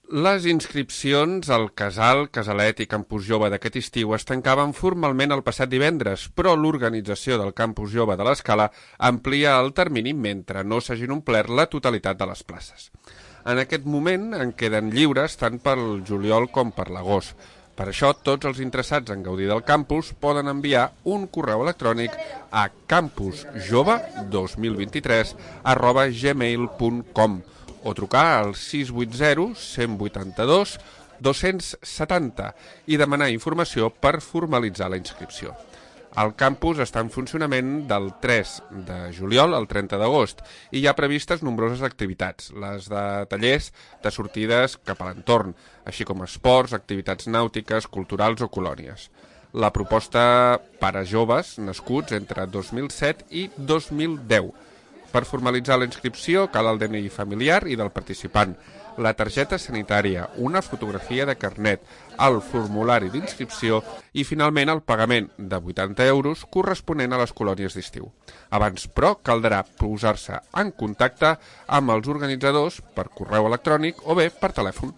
Les inscripcions al Casal, Casalet i Campus Jove d'aquest estiu es tancaven formalment el passat divendres, però l'organització del Campus Jove de l'Escala amplia el termini mentre no s'hagin omplert la totalitat de les places. En aquest moment en queden lliures tant pel juliol com per l'agost. Per això, tots els interessats en gaudir del campus poden enviar un correu electrònic a campusjove2023@gmail.com o trucar al 680 182 270 i demanar informació per formalitzar la inscripció. El campus està en funcionament del 3 de juliol al 30 d'agost i hi ha previstes nombroses activitats, les de tallers de sortides cap a l'entorn, així com esports, activitats nàutiques, culturals o colònies. La proposta per a joves nascuts entre 2007 i 2010. Per formalitzar la inscripció cal el DNI familiar i del participant, la targeta sanitària, una fotografia de carnet, el formulari d'inscripció i, finalment, el pagament de 80 euros corresponent a les colònies d'estiu. Abans, però, caldrà posar-se en contacte amb els organitzadors per correu electrònic o bé per telèfon.